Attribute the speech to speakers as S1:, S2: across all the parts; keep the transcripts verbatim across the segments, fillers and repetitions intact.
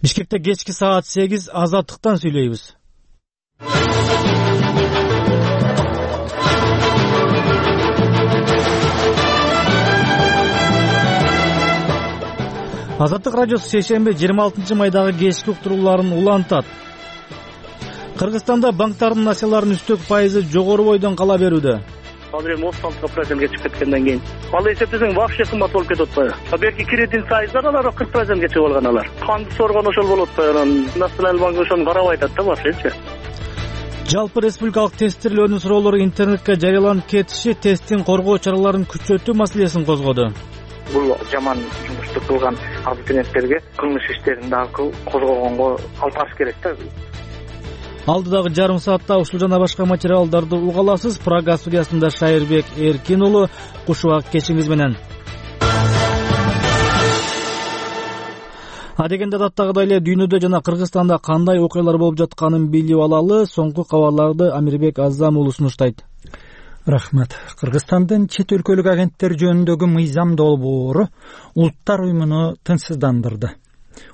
S1: Бишкекте кечки саат сегиз Азаттыктан сүйлөйбүз. Азаттык радиосу шейшемби жыйырма алтынчы майдагы кечки уктурууларын улантат. Кыргызстанда банктардын акцияларынын үстөк пайызы жогору бойдон кала берүүдө.
S2: Азыр эми отуз алты процентке чыгып кеткенден кийин ал эсептесең вообще кымбат болуп кетип атпайбы? Берки кредит сайыздар алар кырк процентке чыгып алган алар. Канды соргон ошол болуп атпайбы? Националдык банк ошону карабай атат да башкачы.
S1: Жалпы республикалык тесттирлөөнүн суроолору интернетке жарыяланып кетиши тесттин коргоо чараларын күчөтүү маселесин козгоду.
S2: Бул жаман жумушту кылган абитуриенттерге кылмыш иштерин дагы козгогонго алып барыш керек да.
S1: Алдыдагы жарым саатта ушул жана башка материалдарды уга аласыз. Прага студиясында Шайырбек Эркин уулу, кушубак кечиңиз менен. Адегенде даттагыдай эле дүйнөдө жана Кыргызстанда кандай окуялар болуп жатканын билип алалы. Соңку кабарларды Амирбек Азам уулу сунуштайт.
S3: Рахмат. Кыргызстандын чет өлкөлүк агенттер жөнүндөгү мыйзам долбоору Улуттар уюмуну тынчсыздандырды.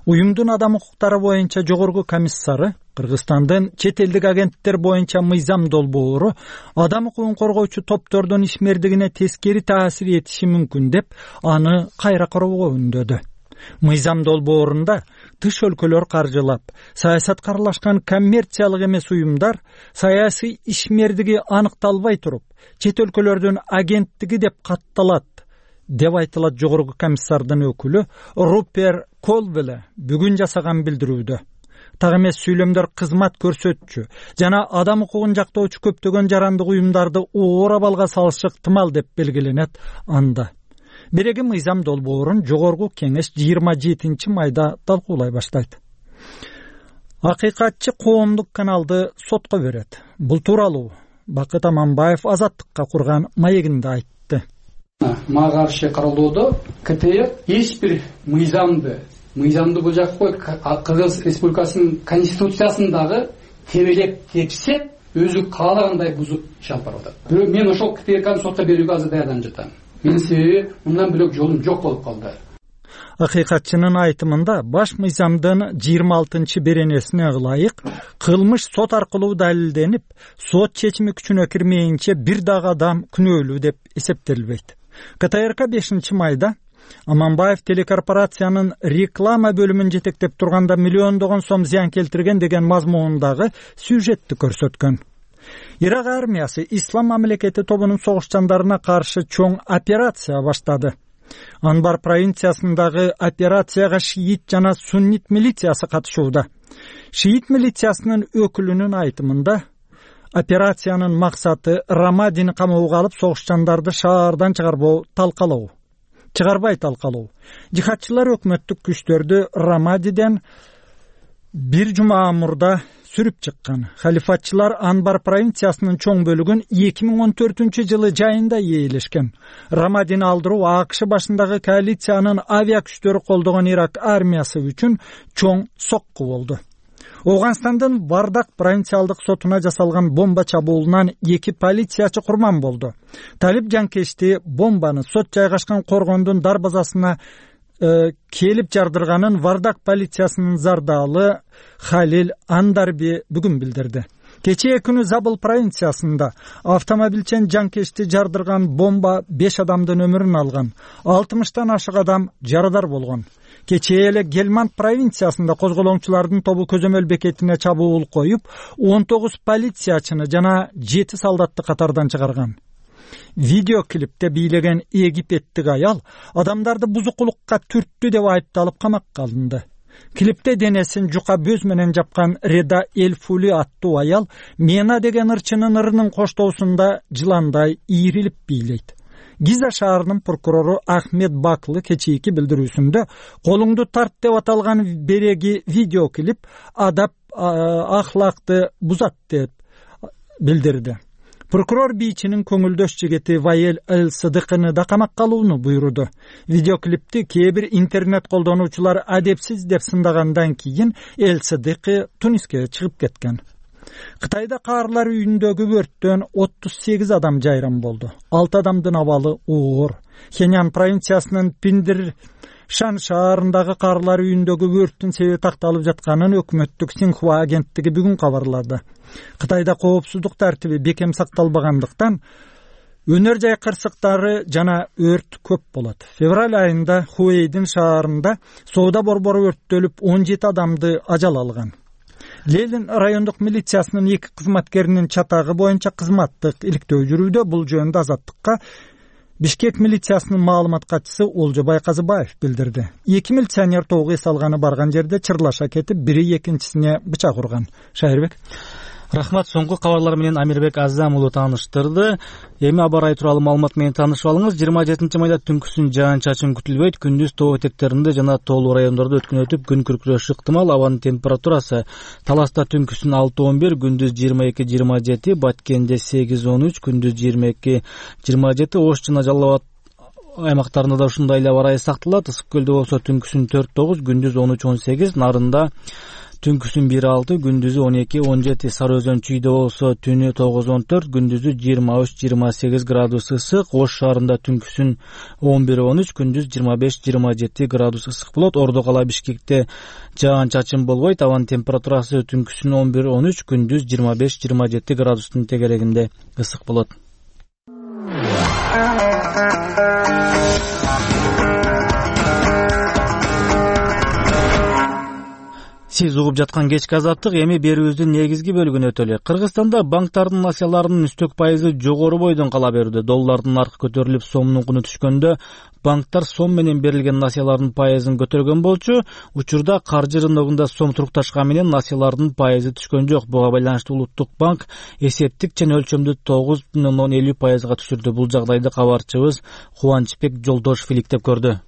S3: Уюмдун адам укуктары боюнча жогорку комиссары Кыргызстандын чет элдик агенттер боюнча мыйзам долбоору адам укугун коргоочу топтордун ишмердигине тескери таасир этиши мүмкүн деп аны кайра кароого үндөдү. Мыйзам долбоорунда тыш өлкөлөр каржылап, саясатка аралашкан коммерциялык эмес уюмдар саясий ишмердиги аныкталбай туруп, чет өлкөлөрдүн агенттиги деп катталат деп айтылат. Жогорку комиссардын өкүлү Рупер Колвеле бүгүн жасаган билдирүүдө. Так эмес сүйлөмдөр кызмат көрсөтчү жана адам укугун жактоочу көптөгөн жарандык уюмдарды оор абалга салышы ыктымал деп белгиленет анда. Биреги мыйзам долбоорун жогорку кеңеш жыйырма жетинчи майда талкуулай баштайт. Акыйкатчы коомдук каналды сотко берет. Бул тууралуу Бакыт Аманбаев Азаттыкка курган маегинде айтты.
S4: Мага каршы каралоодо КТР эч бир мыйзамды мыйзамды бул жакка Кыргыз Республикасынын конституциясындагы тебелеп тепсе, өзү каалагандай бузуп иш алып барып атат. Бирок мен ошол КТРКны сотко берүүгө азыр даярданып жатам. Менин себеби мындан бөлөк жолум жок болуп калды.
S3: Акыйкатчынын айтымында баш мыйзамдын жыйырма алтынчы беренесине ылайык кылмыш сот аркылуу далилденип, сот чечими күчүнө кирмейинче бир дагы адам күнөөлүү деп эсептелбейт. КТРК бешинчи майда Аманбаев телекорпорациянын реклама бөлүмүн жетектеп турганда миллиондогон сом зыян келтирген деген мазмундагы сюжетти көрсөткөн. Ирак армиясы Ислам мамлекети тобунун согушчандарына каршы чоң операция баштады. Анбар провинциясындагы операцияга шиит жана суннит милициясы катышууда. Шиит милициясынын өкүлүнүн айтымында операциянын максаты Рамадини камоого алып согушчандарды шаардан чыгарбоо талкалоо. Чыгарбай талкалоо. Жихадчылар өкмөттүк күчтөрдү Рамадиден бир жума мурда сүрүп чыккан. Халифатчылар Анбар провинциясынын чоң бөлүгүн эки миң он төртүнчү жылы жайында ээлешкен. Рамадини алдыруу АКШ башындагы коалициянын авиа күчтөрү колдогон Ирак армиясы үчүн чоң сокку болду. Ооганстандын Вардак провинциалдык сотуна жасалган бомба чабуулунан эки полициячы курман болду. Талип жанкечти бомбаны сот жайгашкан коргондун дарбазасына э, келип жардырганын Вардак полициясынын зардалы Халил Андарби бүгүн билдирди. Кечээ күнү Забыл провинциясында автомобилчен жанкечти жардырган бомба беш адамдын өмүрүн алган. алтымыштан ашык адам жарадар болгон. Кечээ эле Гелманд провинциясында козголоңчулардын тобу көзөмөл бекетине чабуул коюп, он тогуз полициячыны жана жети солдатты катардан чыгарган. Видеоклипте бийлеген египеттик аял адамдарды бузукулукка түрттү деп айыпталып камакка алынды. Клипте денесин жука бөз менен жапкан Реда Элфули аттуу аял Мена деген ырчынын ырынын коштоосунда жыландай ийрилип бийлейт. Гиза шаарынын прокурору Ахмед Баклы кечээки билдирүүсүндө колуңду тарт деп аталган береги видеоклип адап ахлакты бузат деп билдирди. Прокурор бийчинин көңүлдөш жигити Ваел Эл-Сыдыкыны да камакка алууну буйруду. Видеоклипти кээ бир интернет колдонуучулар адепсиз деп сындагандан кийин Эл-Сыдыкы Туниске чыгып кеткен. Кытайда каарлар үйүндөгү өрттөн отуз сегиз адам жайран болду. алты адамдын абалы оор. Хенян провинциясынын Пиндир Шан шаарындагы карлар үйүндөгү өрттүн себеби такталып жатканын өкмөттүк Синьхуа агенттиги бүгүн кабарлады. Кытайда коопсуздук тартиби бекем сакталбагандыктан өнөр жай кырсыктары жана өрт көп болот. Февраль айында Хуэйдин шаарында соода борбору өрттөлүп он жети адамды ажал алган. Лелин райондук милициясынын эки кызматкеринин чатагы боюнча кызматтык иликтөө жүрүүдө. Бул жөнүндө Азаттыкка Бишкек милициясынын маалымат катчысы Олжо Байказыбаев билдирди. Эки милиционер тоого эс алганы барган жерде чырлаша кетип, бири экинчисине бычак урган. Шайырбек.
S1: Рахмат. Соңку кабарлар менен Амирбек Азам уулу тааныштырды. Эми аба ырайы тууралуу маалымат менен таанышып алыңыз. жыйырма жетинчи майда түнкүсүн жаан-чачын күтүлбөйт. Күндүз тоо этектеринде жана тоолуу райондордо өткөн өтүп күн күркүрөшү ыктымал. Абанын температурасы Таласта түнкүсүн алты он бир, күндүз жыйырма эки жыйырма жети, Баткенде сегиз он үч, күндүз жыйырма эки жыйырма жети, Ош жана Жалал Абад аймактарында да ушундай эле аба ырайы сакталат. Ысык көлдө болсо түнкүсүн төрт тогуз, күндүз он үч он сегиз, Нарында түнкүсүн бир алты, күндүзү он эки он жети, Сары Өзөн Чүйдө болсо түнү тогуз он төрт, күндүзү жыйырма үч жыйырма сегиз градус ысык, Ош шаарында түнкүсүн он бир он үч, күндүз жыйырма беш жыйырма жети градус ысык болот. Ордо кала Бишкекте жаан-чачын болбойт. Абанын температурасы түнкүсүн он бир он үч, күндүз жыйырма беш жыйырма жети градустун тегерегинде ысык болот. Сиз угуп жаткан кечки азаттык эми берүүбүздүн негизги бөлүгүнө өтөлү. Кыргызстанда банктардын насыяларынын үстөк пайызы жогору бойдон кала берүүдө. Доллардын наркы көтөрүлүп, сомдун куну түшкөндө банктар сом менен берилген насыялардын пайызын көтөргөн болчу. Учурда каржы рыногунда сом турукташкан менен насыялардын пайызы түшкөн жок. Буга байланыштуу Улуттук банк эсептик чен өлчөмдү тогуз бүтүн ондон элүү пайызга түшүрдү. Бул жагдайды кабарчыбыз Кубанычбек Жолдошев иликтеп көрдү.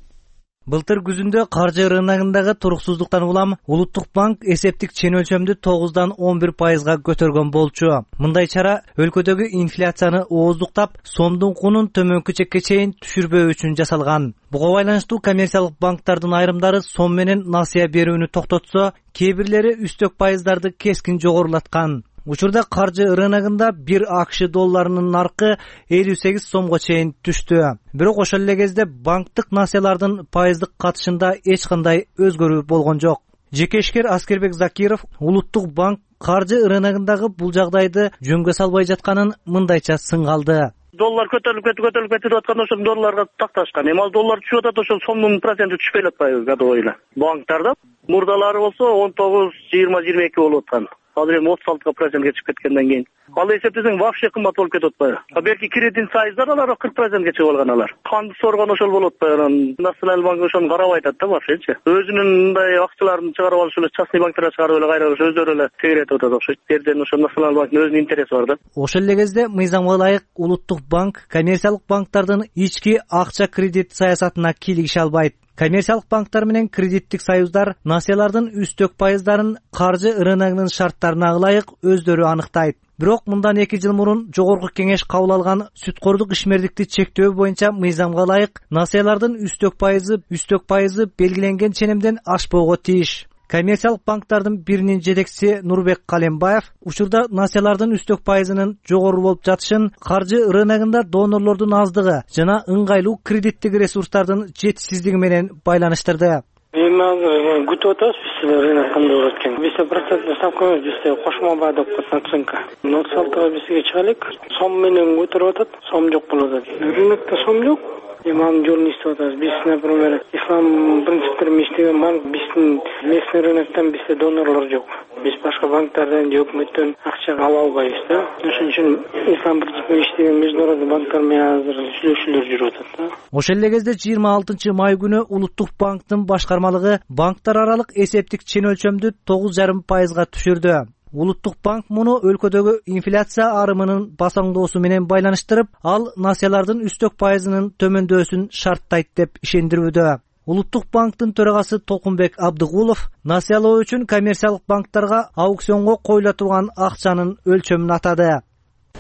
S5: Былтыр күзүндө каржы рыногундагы туруксуздуктан улам Улуттук банк эсептик чен өлчөмдү тогуздан он бир пайызга көтөргөн болчу. Мындай чара өлкөдөгү инфляцияны ооздуктап, сомдун кунун төмөнкү чекке чейин түшүрбөө үчүн жасалган. Буга байланыштуу коммерциялык банктардын айрымдары сом менен насыя берүүнү токтотсо, кээ бирлери үстөк пайыздарды кескин жогорулаткан. Учурда каржы рыногунда бир АКШ долларынын наркы элүү сегиз сомго чейин түштү. Бирок ошол эле кезде банктык насыялардын пайыздык катышында эч кандай өзгөрүү болгон жок. Жеке ишкер Аскербек Закиров Улуттук банк каржы рыногундагы бул жагдайды жөнгө салбай жатканын мындайча сынгалды.
S2: Доллар көтөрүлүп кетип көтөрүлүп кетип атканда ошол долларга такташкан. Эми ал доллар түшүп атат, ошол сомдун проценти түшпөй атпайбы годовой эле. Банктарда мурдалары болсо он тогуз жыйырма жыйырма эки болуп аткан. Азыр эми отуз алты процентке чыгып кеткенден кийин ал эсептесең вообще кымбат болуп кетип атпайбы? Берки кредиттин сайыздар алар кырк процентке чыгып алган алар. Канды соргон ошол болуп атпайбы? Националдык банк ошону карабай атат да вообще-чи. Өзүнүн мындай акчаларын чыгарып алыш эле частный банктарга чыгарып эле кайра өздөрү эле тегеретип атат окшойт. Жерден ошо Националдык банктын өзүнүн интереси бар да.
S5: Ошол эле кезде мыйзамга ылайык Улуттук банк коммерциялык банктардын ички акча кредит саясатына кийлигише албайт. Коммерциялык банктар менен кредиттик союздар насыялардын үстөк пайыздарын каржы рыногунун шарттарына ылайык өздөрү аныктайт. Бирок мындан эки жыл мурун жогорку кеңеш кабыл алган сүткордук ишмердикти чектөө боюнча мыйзамга ылайык насыялардын үстөк пайызы үстөк пайызы белгиленген ченемден ашпоого тийиш. Коммерциялык банктардын биринин жетекчиси Нурбек Калембаев учурда насыялардын үстөк пайызынын жогору болуп жатышын каржы рыногунда донорлордун аздыгы жана ыңгайлуу кредиттик ресурстардын жетишсиздиги менен байланыштырды.
S6: Эми азыр күтүп атабыз биз рынок кандай болот экен. Бизде проценттик ставкабыз бизде кошмо баа деп коет наценка. отуз алтыга бизге чыгалык. Сом менен көтөрүп атат, сом жок болуп атат. Рынокто сом жок. Эми анын жолун издеп атабыз. Биз, например, ислам принциптерин иштеген банк, биздин местный рыноктон бизде донорлор жок. Биз башка банктардан же өкмөттөн акча ала албайбыз да. Ошон үчүн ислам принциптерин иштеген международный банктар менен азыр сүйлөшүүлөр жүрүп атат да.
S5: Ошол эле кезде жыйырма алтынчы май күнү Улуттук банктын башкармалыгы банктар аралык эсептик чен өлчөмдү тогуз жарым пайызга түшүрдү. Улуттук банк муну өлкөдөгү инфляция арымынын басаңдоосу менен байланыштырып, ал насыялардын үстөк пайызынын төмөндөсүн шарттайт деп ишендирүүдө. Улуттук банктын төрагасы Толкунбек Абдыгулов насыялоо үчүн коммерциялык банктарга аукционго коюла турган акчанын өлчөмүн атады.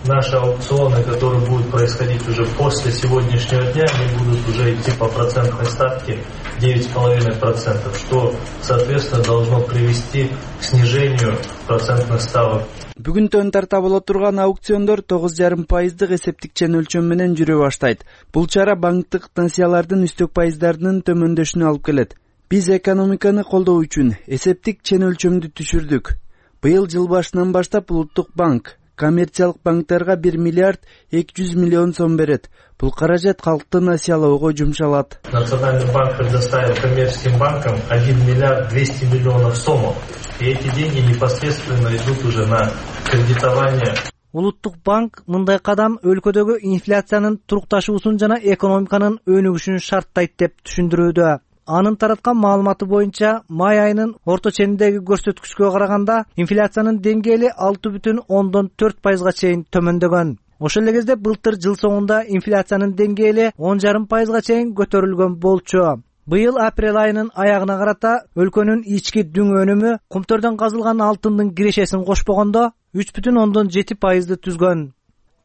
S7: Наши аукционы, которые будут происходить уже после сегодняшнего дня, они будут уже идти по процентной ставке девять и пять десятых процента, что, соответственно, должно привести к снижению процентных ставок.
S8: Бүгүнтөн тарта боло турган аукциондор тогуз жарым пайыздык эсептик чен өлчөм менен жүрө баштайт. Бул чара банктык насыялардын үстөк пайыздарынын төмөндөшүнө алып келет. Биз экономиканы колдоо үчүн эсептик чен өлчөмдү түшүрдүк. Быйыл жыл башынан баштап Улуттук банк коммерциялык банктарга бир миллиард эки жүз миллион сом берет. Бул каражат калкты насыялоого жумшалат.
S7: Национальный банк предоставил коммерческим банкам один миллиард двести миллионов сомов. И эти деньги непосредственно идут уже на кредитование.
S5: Улуттук банк мындай кадам өлкөдөгү инфляциянын турукташуусун жана экономиканын өнүгүшүн шарттайт деп түшүндүрүүдө. Анын тараткан маалыматы боюнча май айынын орто ченindеги көрсөткүчкө караганда инфляциянын деңгээли алты бүтүн ондон төрт пайызга чейин төмөндөгөн. Ошол эле кезде былтыр жыл соңунда инфляциянын деңгээли он жарым пайызга чейин көтөрүлгөн болчу. Быйыл апрель айынын аягына карата өлкөнүн ички дүң өнүмү кумтөрдөн казылган алтындын кирешесин кошпогондо үч бүтүн ондон жети пайызды түзгөн.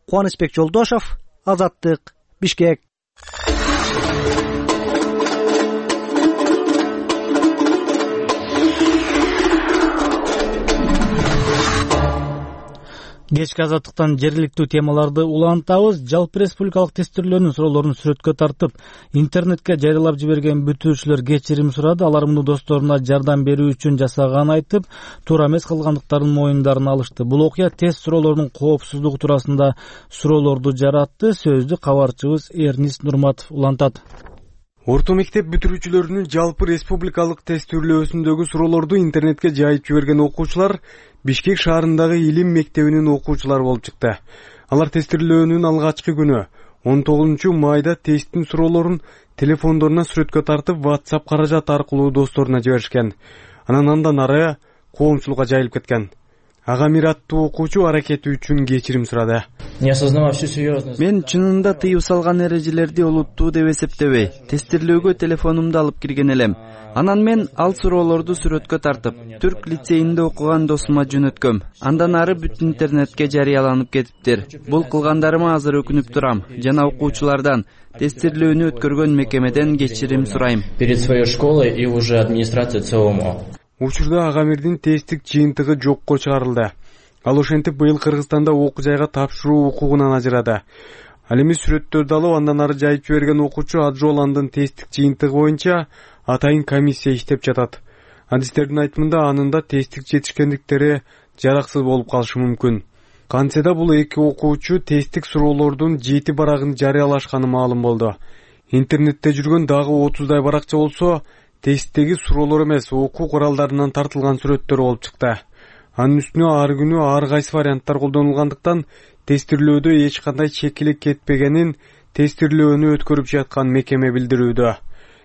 S5: Кубанычбек Жолдошов, Азаттык, Бишкек.
S1: Кечки Азаттыктан жергиликтүү темаларды улантабыз. Жалпы республикалык тестирлөөнүн суроолорун сүрөткө тартып, интернетке жарыялап жиберген бүтүүчүлөр кечирим сурады. Алар муну досторуна жардам берүү үчүн жасаганын айтып, туура эмес кылгандыктарын моюндарын алышты. Бул окуя тест суроолорунун коопсуздугу туурасында суроолорду жаратты. Сөздү кабарчыбыз Эрнис Нурматов улантат.
S9: Орто мектеп бүтүрүүчүлөрүнүн жалпы республикалык тестирлөөсүндөгү суроолорду интернетке жайып жиберген окуучулар Бишкек шаарындагы Илим мектебинин окуучулары болуп чыкты. Алар тестирлөөнүн алгачкы күнү он тогузунчу майда тесттин суроолорун телефондоруна сүрөткө тартып, WhatsApp каражат аркылуу досторуна жиберишкен. Анан андан ары коомчулукка жайылып кеткен. Агамир аттуу окуучу аракети үчүн кечирим сурады.
S8: Мен чынында тыюу салган эрежелерди олуттуу деп эсептебей, тестирлөөгө телефонумду алып кирген элем. Анан мен ал суроолорду сүрөткө тартып, Түрк лицейинде окуган досума жөнөткөм. Андан ары бүт интернетке жарыяланып кетиптир. Бул кылгандарыма азыр өкүнүп турам жана окуучулардан, тестирлөөнү өткөргөн мекемеден кечирим сурайм.
S10: Перед своей школой и уже администрация ЦОМО.
S9: Учурда Агамирдин тесттик жыйынтыгы жокко чыгарылды. Ал ошентип быйыл Кыргызстанда окуу жайга тапшыруу укугунан ажырады. Ал эми сүрөттөрдү алып, андан ары жайып жиберген окуучу Аджоландын тесттик жыйынтыгы боюнча атайын комиссия иштеп жатат. Адистердин айтымында анында тесттик жетишкендиктери жараксыз болуп калышы мүмкүн. Кантсе да бул эки окуучу тесттик суроолордун жети барагын жарыялашканы маалым болду. Интернетте жүргөн дагы отуздай баракча болсо, тесттеги суроолор эмес, окуу куралдарынан тартылган сүрөттөр болуп чыкты. Анын үстүнө ар күнү ар кайсы варианттар колдонулгандыктан тестирлөөдө эч кандай чекилик кетпегенин тестирлөөнү өткөрүп жаткан мекеме билдирүүдө.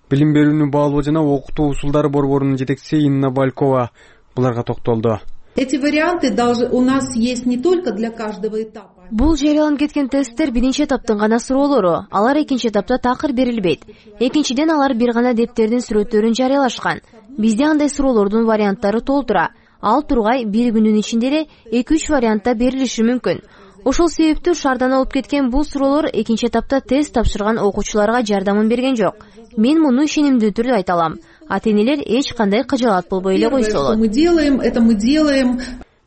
S9: Билим берүүнү баалоо жана окутуу усулдары борборунун жетекчиси Инна Балькова буларга токтолду.
S11: Эти варианты у нас есть не только для каждого этапа.
S12: Бул жарыяланып кеткен тесттер биринчи этаптын гана суроолору. Алар экинчи этапта такыр берилбейт. Экинчиден алар бир гана дептердин сүрөттөрүн жарыялашкан. Бизде андай суроолордун варианттары толтура. Ал тургай бир күнүн ичинде эле эки үч вариантта берилиши мүмкүн. Ошол себептүү шаардан алып кеткен бул суроолор экинчи этапта тест тапшырган окуучуларга жардамын берген жок. Мен муну ишенимдүү түрдө айта алам. Ата-энелер эч кандай кыжаалат болбой эле койсо болот.
S11: Мы делаем, это мы делаем.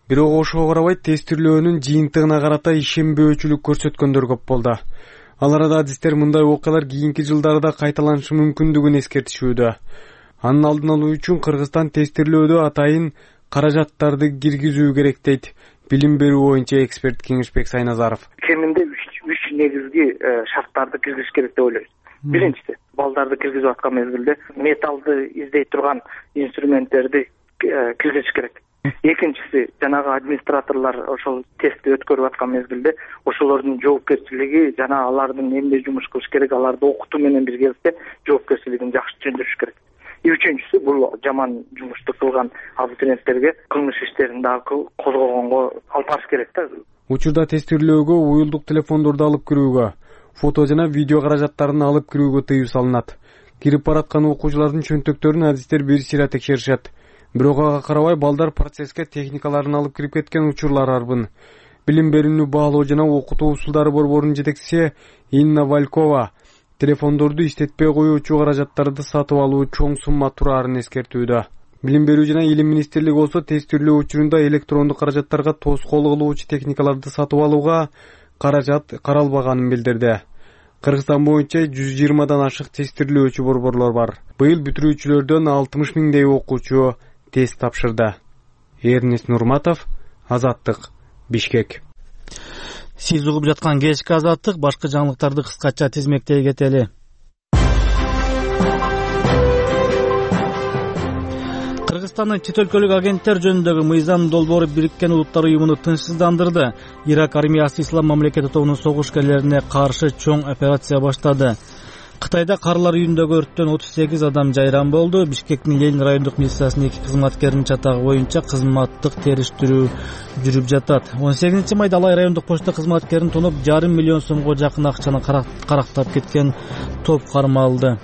S9: Бирок ошого карабай тестирлөөнүн жыйынтыгына карата ишенбөөчүлүк көрсөткөндөр көп болду. Ал арада адистер мындай окуялар кийинки жылдарда кайталанышы мүмкүндүгүн эскертишүүдө. Анын алдын алуу үчүн Кыргызстан тестирлөөдө атайын каражаттарды киргизүү керек дейт билим берүү боюнча эксперт Кеңешбек Сайназаров.
S2: Кеминде үч негизги шарттарды киргизиш керек деп ойлойбуз. Биринчиси, балдарды киргизип аткан мезгилде металлды издей турган инструменттерди киргизиш керек. Экинчиси, жанагы администраторлор ошол тестти өткөрүп аткан мезгилде ошолордун жоопкерчилиги жана алардын эмне жумуш кылыш керек, аларды окутуу менен биргеликте жоопкерчилигин жакшы түшүндүрүш керек. И үчүнчүсү, бул жаман жумушту кылган абитуриенттерге кылмыш иштерин дагы козгогонго алып барыш керек да.
S9: Учурда тестирлөөгө уюлдук телефондорду алып кирүүгө, фото жана видео каражаттарын алып кирүүгө тыюу салынат. Кирип бараткан окуучулардын чөнтөктөрүн адистер бир сыйра текшеришет. Бирок ага карабай балдар процесске техникаларын алып кирип кеткен учурлар арбын. Билим берүүнү баалоо жана окутуу усулдары борборунун жетекчиси Инна Балькова телефондорду иштетпей коюучу каражаттарды сатып алуу чоң сумма тураарын эскертүүдө. Билим берүү жана илим министрлиги болсо тестирлөө учурунда электрондук каражаттарга тоскоол кылуучу техникаларды сатып алууга каражат каралбаганын билдирди. Кыргызстан боюнча жүз жыйырмадан ашык тестирлөөчү борборлор бар. Быйыл бүтүрүүчүлөрдөн алтымыш миңдей окуучу тест тапшырды. Эрнест Нурматов, Азаттык, Бишкек.
S1: Сиз угуп жаткан кечки Азаттык, башка жаңылыктарды кыскача тизмектей кетели. Кыргызстандын чет өлкөлүк агенттер жөнүндөгү мыйзам долбоору Бириккен Улуттар уюмуну тынчсыздандырды. Ирак армиясы Ислам мамлекети тобунун согушкерлерине каршы чоң операция баштады. Кытайда Карлар үйүндөгү өрттөн отуз сегиз адам жайран болду. Бишкектин Ленин райондук милициясынын эки кызматкеринин чатагы боюнча кызматтык териштирүү жүрүп жатат. он сегизинчи майда Алай райондук почта кызматкерин тоноп жарым миллион сомго жакын акчаны карактап кеткен топ кармалды.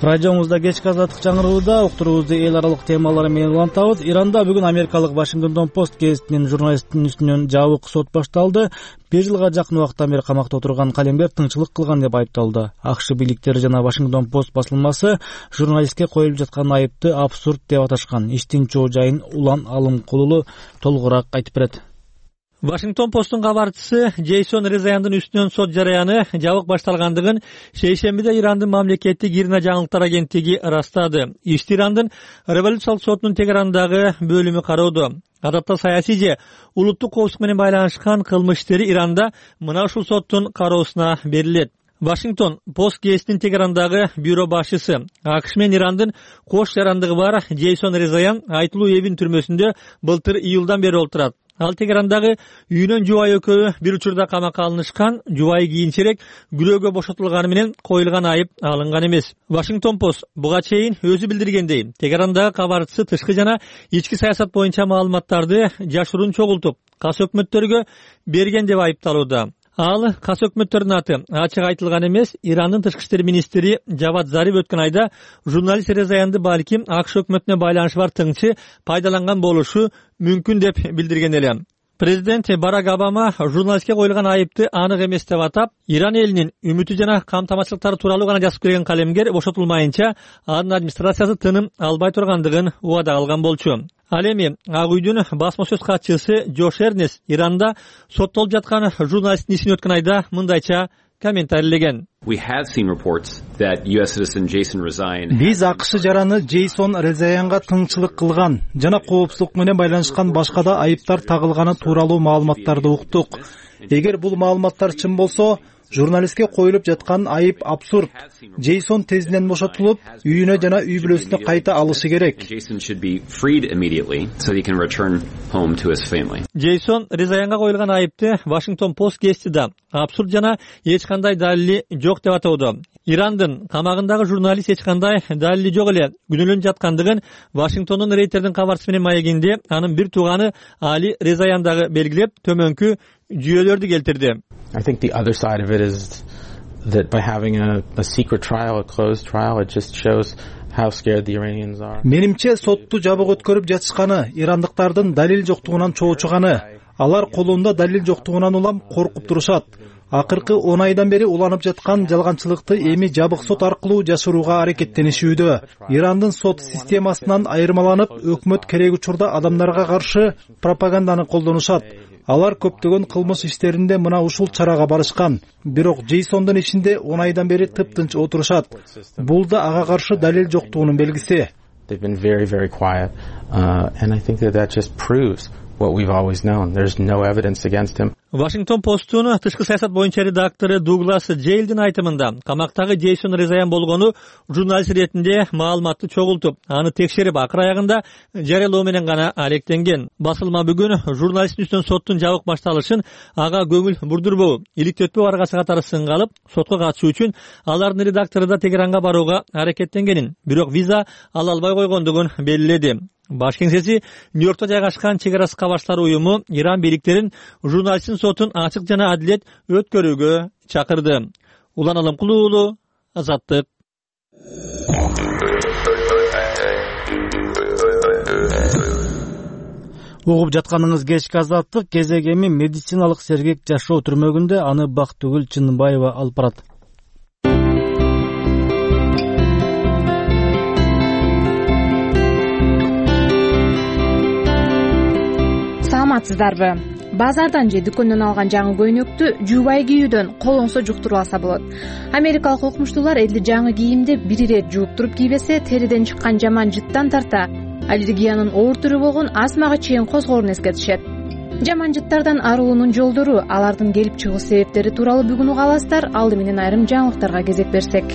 S1: Радиомузда кечки Азаттык жаңырыууда уктуруубузду эл аралык темалары менен улантабыз. Иранда бүгүн америкалык Washington Post гезитинин журналистинин үстүнөн жабык сот башталды. бир жылга жакын убакыттан бери камакта отурган калемгер тыңчылык кылган деп айыпталды. АКШ бийликтери жана Washington Post басылмасы журналистке коюлуп жаткан айыпты абсурд деп аташкан. Иштин чоо жайын Улан Алымкулулу толугураак айтып берет.
S13: Вашингтон Посттун кабарчысы Джейсон Резаяндын үстүнөн сот жараяны жабык башталгандыгын шейшембиде Ирандын мамлекеттик ирина жаңылыктар агенттиги ырастады. Ишти Ирандын революциялык сотунун Тегерандагы бөлүмү кароодо. Адатта саясий же улуттук коопсуздук менен байланышкан кылмыш иштери Иранда мына ушул соттун кароосуна берилет. Вашингтон Пост гезитинин Тегерандагы бюро башчысы АКШ менен Ирандын кош жарандыгы бар Джейсон Резаян айтылуу эбин түрмөсүндө былтыр июлдан бери отурат. Ал Тегерандагы үйүнөн жубайы экөө бир учурда камакка алынышкан, жубайы кийинчерээк күлөөгө бошотулганы менен коюлган айып алынган эмес. Вашингтон Пост буга чейин өзү билдиргендей, Тегерандагы кабарчысы тышкы жана ички саясат боюнча маалыматтарды жашыруун чогултуп, кас өкмөттөргө берген деп айыпталууда. Ал кас өкмөттөрдүн аты ачык айтылган эмес. Ирандын тышкы иштер министри Жавад Зариф өткөн айда журналист Резаянды балким АКШ өкмөтүнө байланышы бар тыңчы пайдаланган болушу мүмкүн деп билдирген эле. Президент Барак Обама журналистке коюлган айыпты анык эмес деп атап, Иран элинин үмүтү жана камтамашчылыктары тууралуу гана жазып берген калемгер бошотулмайынча анын администрациясы тыным албай тургандыгын убада кылган болчу. Ал эми Ак үйдүн басма сөз катчысы Джош Эрнест Иранда соттолуп жаткан журналисттин ишин өткөн айда мындайча комментарийлеген.
S3: Биз АКШ жараны Джейсон Резаянга тыңчылык кылган жана коопсуздук менен байланышкан башка да айыптар тагылганы тууралуу маалыматтарды уктук. Эгер бул маалыматтар чын болсо, журналистке коюлуп жаткан айып абсурд. Джейсон тезинен бошотулуп, үйүнө жана үй бүлөсүнө кайта алышы керек.
S13: Джейсон Резаянга коюлган айыпты Вашингтон Пост гезити да абсурд жана эч кандай далили жок деп атоодо. Ирандын камагындагы журналист эч кандай далили жок эле күнөөлөнүп жаткандыгын Вашингтондун рейтердин кабарчысы менен маегинде анын бир тууганы Али Резаян дагы белгилеп, төмөнкү жүйөлөрдү келтирди.
S14: I think the other side of it is that by having a, a secret trial, a closed trial, it just shows how scared the Iranians are.
S3: Менимче сотту жабык өткөрүп жатышканы ирандыктардын далил жоктугунан чоочуганы. Алар колунда далил жоктугунан улам коркуп турушат. Акыркы он айдан бери уланып жаткан жалганчылыкты эми жабык сот аркылуу жашырууга аракеттенишүүдө. Ирандын сот системасынан айырмаланып, өкмөт керек учурда адамдарга каршы пропаганданы колдонушат. Алар көптөгөн кылмыш иштеринде мына ушул чарага барышкан. Бирок Джейсондун ишинде он айдан бери тыптынч отурушат. Бул да ага каршы далил жоктугунун белгиси.
S14: They've been very, very quiet, uh, and I think that that just proves what we've always known. There's no evidence against him.
S13: Вашингтон Посттун тышкы саясат боюнча редактору Дуглас Джейлдин айтымында камактагы Джейсон Резаян болгону журналист иретинде маалыматты чогултуп, аны текшерип акыр аягында жарыялоо менен гана алектенген. Басылма бүгүн журналисттин үстүнөн соттун жабык башталышын ага көңүл бурдурбоо, иликтөтпөө аргасы катары сынга алып, сотко катышуу үчүн алардын редактору да Тегеранга барууга аракеттенгенин, бирок виза ала албай койгондугун белгиледи. Баш кеңсеси Нью-Йоркто жайгашкан чек ара кабарчылар уюму Иран бийликтерин журналисттин сотун ачык жана адилет өткөрүүгө чакырды. Улан Алымкулуу, Азаттык.
S1: Угуп жатканыңыз кечки Азаттык. Кезек эми медициналык сергек жашоо түрмөгүндө аны Бактыгүл Чынбаева алып барат.
S15: саламатсыздарбы? Базардан же дүкөндөн алган жаңы көйнөктү жуубай кийүүдөн колоңсо жуктуруп алса болот. Америкалык окумуштуулар элди жаңы кийимди бир ирет жууп туруп кийбесе териден чыккан жаман жыттан тарта аллергиянын оор түрү болгон астмага чейин козгоорун эскертишет. Жаман жыттардан арылуунун жолдору, алардын келип чыгуу себептери тууралуу бүгүн уга аласыздар. Алды менен айрым жаңылыктарга кезек берсек.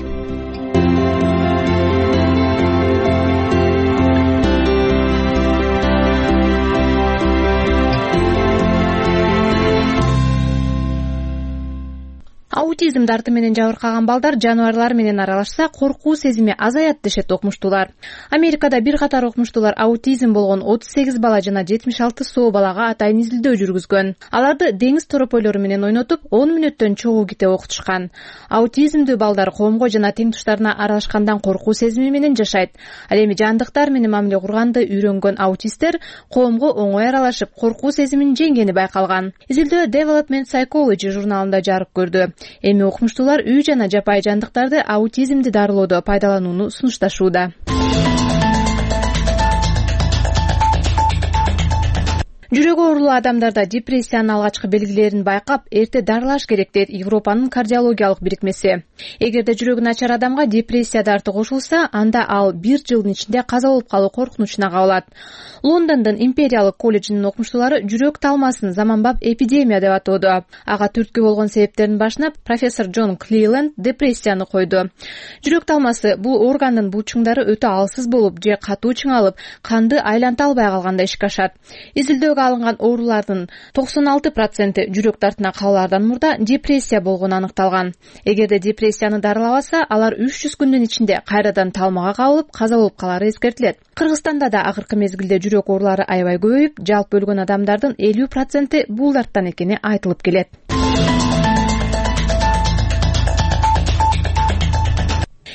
S15: Аутизм дарты менен жабыркаган балдар жаныбарлар менен аралашса коркуу сезими азаят дешет окумуштуулар. Америкада бир катар окумуштуулар аутизм болгон отуз сегиз бала жана жетимиш алты соо балага атайын изилдөө жүргүзгөн. Аларды деңиз торопойлору менен ойнотуп, он мүнөттөн чогуу китеп окутушкан. Аутизмдүү балдар коомго жана тең туштарына аралашкандан коркуу сезими менен жашайт. Ал эми жандыктар менен мамиле курганды үйрөнгөн аутисттер коомго оңой аралашып, коркуу сезимин жеңгени байкалган. Изилдөө Development Psychology журналында жарык көрдү. Эми окумуштуулар үй жана жапайы жандыктарды аутизмди дарылоодо пайдаланууну сунушташууда. Жүрөгү оорулуу адамдарда депрессиянын алгачкы белгилерин байкап, эрте дарылаш керек дейт Европанын кардиологиялык бирикмеси. Эгерде жүрөгү начар адамга депрессия дарты кошулса, анда ал бир жылдын ичинде каза болуп калуу коркунучуна кабылат. Лондондун Империялык колледжинин окумуштуулары жүрөк талмасын заманбап эпидемия деп атоодо. Ага түрткү болгон себептердин башына профессор Джон Клиленд депрессияны койду. Жүрөк талмасы бул органдын булчуңдары өтө алсыз болуп же катуу чыңалып, канды айланта албай калганда ишке ашат. Изилдөөгө алынган оорулардын токсон алты проценти жүрөк дартына кабылаардан мурда депрессия болгону аныкталган. Эгерде депрессияны дарылабаса, алар үч жүз күндүн ичинде кайрадан талмага кабылып, каза болуп калары эскертилет. Кыргызстанда да акыркы мезгилде жүрөк оорулары аябай көбөйүп, жалпы өлгөн адамдардын элүү проценти бул дарттан экени айтылып келет.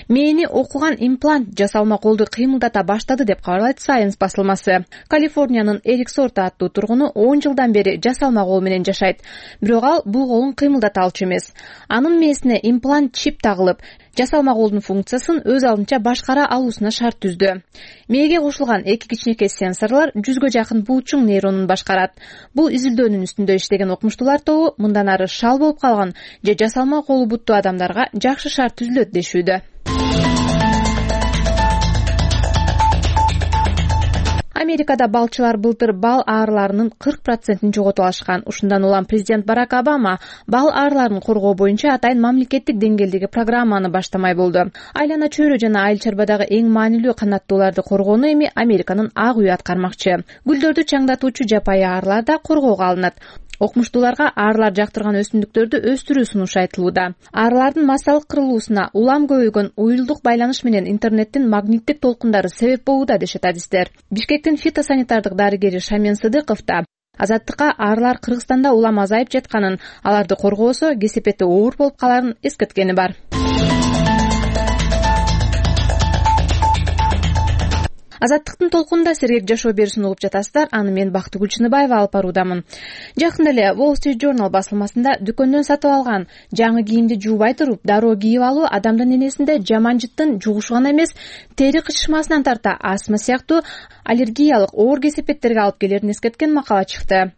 S15: Мээни окуган имплант жасалма колду кыймылдата баштады деп кабарлайт Science басылмасы. Калифорниянын Эрик Сорта аттуу тургуну он жылдан бери жасалма кол менен жашайт. Бирок ал бул колун кыймылдата алчу эмес. Анын мээсине имплант чип тагылып, жасалма колдун функциясын өз алдынча башкара алуусуна шарт түздү. Мээге кошулган эки кичинекей сенсорлор жүзгө жакын булчуң нейронун башкарат. Бул изилдөөнүн үстүндө иштеген окумуштуулар тобу мындан ары шал болуп калган же жасалма колу буттуу адамдарга жакшы шарт түзүлөт дешүүдө. Америкада балчылар былтыр бал аарыларынын кырк процентин жоготуп алышкан. Ушундан улам президент Барак Обама бал аарыларын коргоо боюнча атайын мамлекеттик деңгээлдеги программаны баштамай болду. Айлана чөйрө жана айыл чарбадагы эң маанилүү канаттууларды коргоону эми Американын ак үйү аткармакчы. Гүлдөрдү чаңдатуучу жапайы аарылар да коргоого алынат. Окумуштууларга аарылар жактырган өсүмдүктөрдү өстүрүү сунушу айтылууда. Аарылардын массалык кырылуусуна улам көбөйгөн уюлдук байланыш менен интернеттин магниттик толкундары себеп болууда дешет адистер. Бишкектин фитосанитардык дарыгери Шамен Сыдыков да Азаттыкка аарылар Кыргызстанда улам азайып жатканын, аларды коргоосо кесепети оор болуп каларын эскерткени бар. Азаттыктын толкунда сергек жашоо берүүсүн угуп жатасыздар. Аны мен Бактыгүл Чыныбаева алып баруудамын. Жакында эле Wall Street Journal басылмасында дүкөндөн сатып алган жаңы кийимди жуубай туруп дароо кийип алуу адамдын энесинде жаман жыттын жугушу гана эмес, тери кычышмасынан тарта астма сыяктуу аллергиялык оор кесепеттерге алып келерин эскерткен макала чыкты.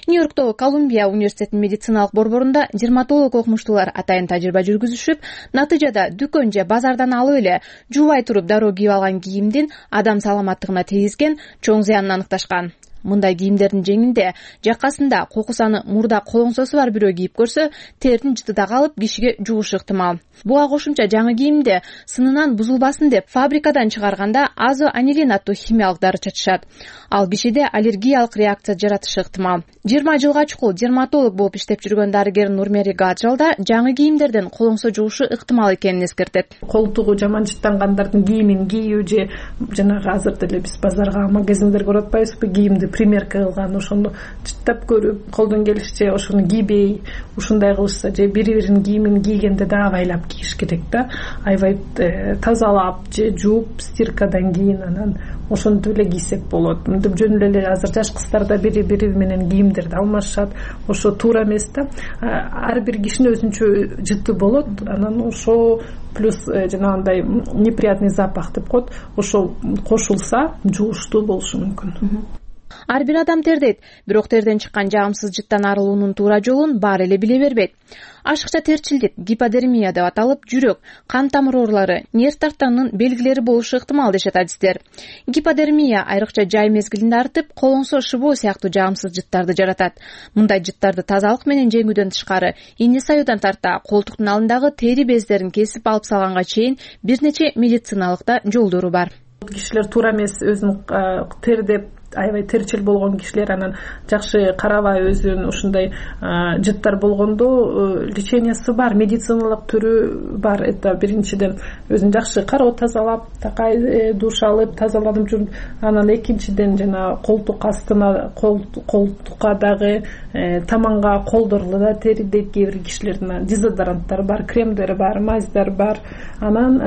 S15: Нью-Йорктогу Колумбия университетинин медициналык борборунда дерматолог окумуштуулар атайын тажрыйба жүргүзүшүп, натыйжада дүкөн же базардан алып эле жуубай туруп дароо кийип алган кийимдин адам саламаттыгына тийгизген чоң зыянын аныкташкан. Мындай кийимдердин жеңинде, жакасында кокусаны мурда колоңсосу бар бирөө кийип көрсө, тердин жыты да калып, кишиге жугушу ыктымал. Буга кошумча жаңы кийимде сынынан бузулбасын деп фабрикадан чыгарганда азоанилин аттуу химиялык дары чачышат. Ал кишиде аллергиялык реакция жаратышы ыктымал. жыйырма жылга чукул дерматолог болуп иштеп жүргөн дарыгер Нурмери Гаджал да жаңы кийимдерден колоңсо жугушу ыктымал экенин эскертет.
S16: Колтугу жаман жыттангандардын кийимин кийүү же жанагы азыр деле биз базарга, магазиндерге барып атпайбызбы, кийимди примерка кылган, ошону жыттап көрүп, колдон келишче ошону кийбей, ушундай кылышса же бири-биринин кийимин кийгенде да абайлап кийиш керек да. Аябай тазалап же жууп стиркадан кийин анан ошентип эле кийсек болот. Мынтип жөн эле азыр жаш кыздар да бири-бири менен кийимдерди алмашат. Ошо туура эмес да. Ар бир кишинин өзүнчө жыты болот. Анан ошо плюс жанагындай неприятный запах деп коет. Ошо кошулса жугуштуу болушу мүмкүн.
S15: ар бир адам тердейт, бирок терден чыккан жагымсыз жыттан арылуунун туура жолун баары эле биле бербейт. Ашыкча терчилдик, гиподермия деп аталып, жүрөк, кан тамыр оорулары, нерв тартанынын белгилери болушу ыктымал дешет адистер. Гиподермия айрыкча жай мезгилинде артып, колоңсо шыбоо сыяктуу жагымсыз жыттарды жаратат. Мындай жыттарды тазалык менен жеңүүдөн тышкары, ийне саюудан тарта колтуктун алдындагы тери бездерин кесип алып салганга чейин бир нече медициналык да жолдору бар.
S16: Кишилер туура эмес өзүн тердеп аябай терчил болгон кишилер анан жакшы карабай өзүн ушундай жыттар болгондо лечениясы бар, медициналык түрү бар. Это биринчиден өзүн жакшы кароо тазалап, такай душ алып тазаланып жүрүп, анан экинчиден жана колтук астына, колтукка дагы таманга колдорулу да тери дейт кээ бир кишилердин. Дезодоранттар бар, кремдер бар, мазьдар бар. Анан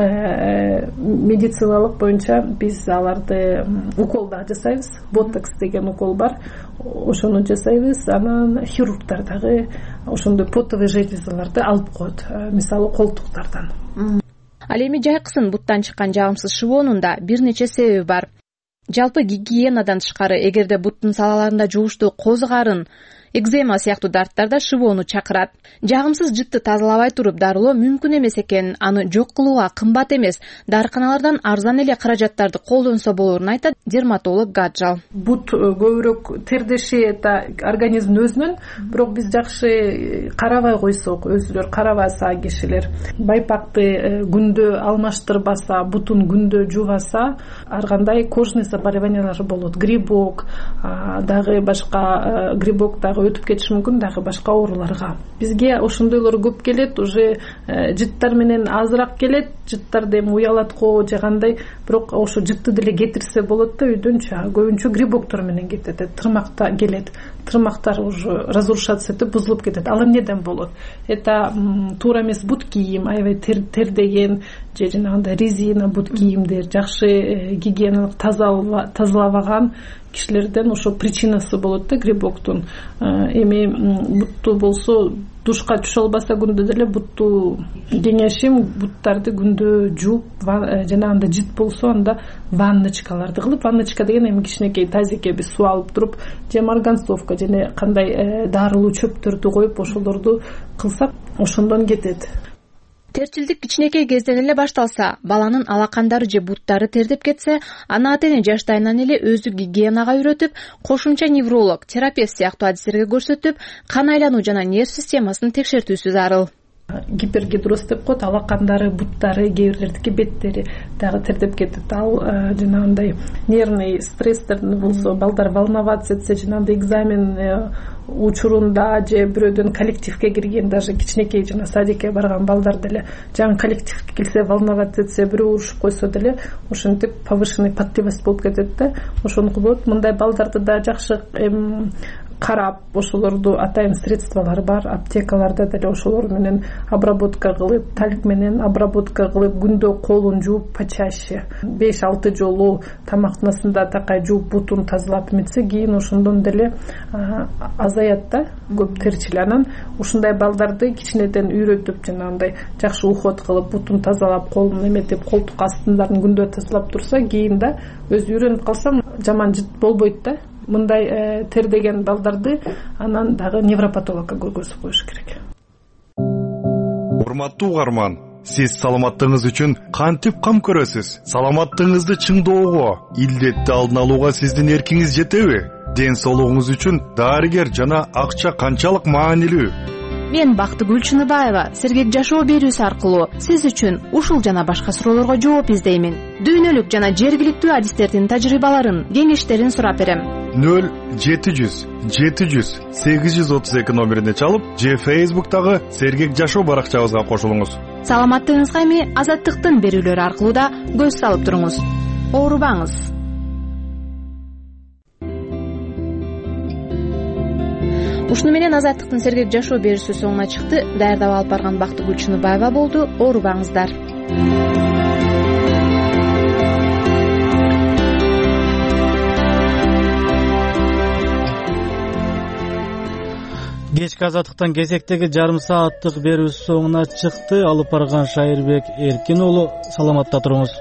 S16: медициналык боюнча биз аларды укол да жасайбыз. Ботокс деген укол бар, ошону жасайбыз. Анан хирургдар дагы ошондой потовый железаларды алып коет, мисалы колтуктардан.
S15: Ал эми жайкысын буттан чыккан жагымсыз шыбоонун да бир нече себеби бар. Жалпы гигиенадан тышкары, эгерде буттун салаларында жугуштуу коз карын, экзема сыяктуу дарттар да шыбоону чакырат. Жагымсыз жытты тазалабай туруп дарылоо мүмкүн эмес экенин, аны жок кылууга кымбат эмес, дарыканалардан арзан эле каражаттарды колдонсо болорун айтат дерматолог Гаджал.
S16: Бут көбүрөөк тердеши это организмдин өзүнөн, бирок биз жакшы карабай койсок, өзүлөр карабаса кишилер, байпакты күндө алмаштырбаса, бутун күндө жуубаса, ар кандай кожный заболеваниялар болот. Грибок, дагы башка грибок дагы өтүп кетиши мүмкүн, дагы башка ооруларга. Бизге ошондойлор көп келет, уже жыттар менен азыраак келет, жыттарды эми уялат го же кандай, бирок ошо жытты деле кетирсе болот да үйдөн. Көбүнчө грибоктор менен кетет, тырмакта келет, тырмактар уже разрушаться этип бузулуп кетет. Ал эмнеден болот? Это туура эмес бут кийим, аябай тердеген же жанагындай резина бут кийимдер, жакшы гигиеналык тазалабаган кишилерден ошо причинасы болот да грибоктун. Эми бутту болсо душка түшө албаса күндө деле бутту кеңешим буттарды күндө жууп, жанагындай жыт болсо анда ванночкаларды кылып, ванночка деген эми кичинекей тазикке биз суу алып туруп, же марганцовка же кандай дарылуу чөптөрдү коюп ошолорду кылсак ошондон кетет.
S15: Терчилдик кичинекей кезден эле башталса, баланын алакандары же буттары тердеп кетсе, ана ата эне жаштайынан эле өзү гигиенага үйрөтүп, кошумча невролог, терапевт сыяктуу адистерге көрсөтүп, кан айлануу жана нерв системасын текшертүүсү зарыл.
S16: Гипергидроз деп коет, алакандары, буттары, кээ бирлердики беттери дагы тердеп кетет. Ал жанагындай нервный стресстердин болсо, балдар волноваться этсе, жанагындай экзамен учурунда же бирөөдөн коллективге кирген, даже кичинекей жана садикке барган балдар деле жаңы коллективге келсе, волноваться этсе, бирөө урушуп койсо деле ошентип повышенный потливость болуп кетет да. Ошону болот. Мындай балдарды да жакшы карап, ошолорду атайын средстволор бар, аптекаларда деле ошолор менен обработка кылып, тальк менен обработка кылып, күндө колун жууп почаще беш алты жолу тамактанасында такай жууп, бутун тазалап эметсе, кийин ошондон деле азаят да, көп терчил. Анан ушундай балдарды кичинеден үйрөтүп, жанагындай жакшы уход кылып, бутун тазалап, колун эметип, колтук астындарын күндө тазалап турса, кийин да өзү үйрөнүп калса жаман жыт болбойт да. Мындай тердеген балдарды анан дагы невропатологко көргөзүп коюш керек.
S17: Урматтуу угарман, сиз саламаттыгыңыз үчүн кантип кам көрөсүз? Саламаттыгыңызды чыңдоого, илдетти алдын алууга сиздин эркиңиз жетеби? Ден соолугуңуз үчүн дарыгер жана акча канчалык маанилүү?
S15: Мен Бактыгүл Чыныбаева сергек жашоо берүүсү аркылуу сиз үчүн ушул жана башка суроолорго жооп издеймин. Дүйнөлүк жана жергиликтүү адистердин тажрыйбаларын, кеңештерин сурап берем.
S17: нөл жети жүз жети жүз сегиз жүз отуз эки номерине чалып, же Facebook'тагы сергек жашоо баракчабызга кошулуңуз.
S15: Саламаттыгыңызга эми Азаттыктын берүүлөрү аркылуу да көз салып туруңуз. Оорубаңыз. Ушуну менен Азаттыктын сергек жашоо берүүсү соңуна чыкты. Даярдап алып барган Бактыгүл Чыныбаева болду. Оорубаңыздар.
S1: Кечки Азаттыктан кезектеги жарым сааттык берүүсү соңуна чыкты. Алып барган Шайырбек Эркин уулу, саламатта туруңуз.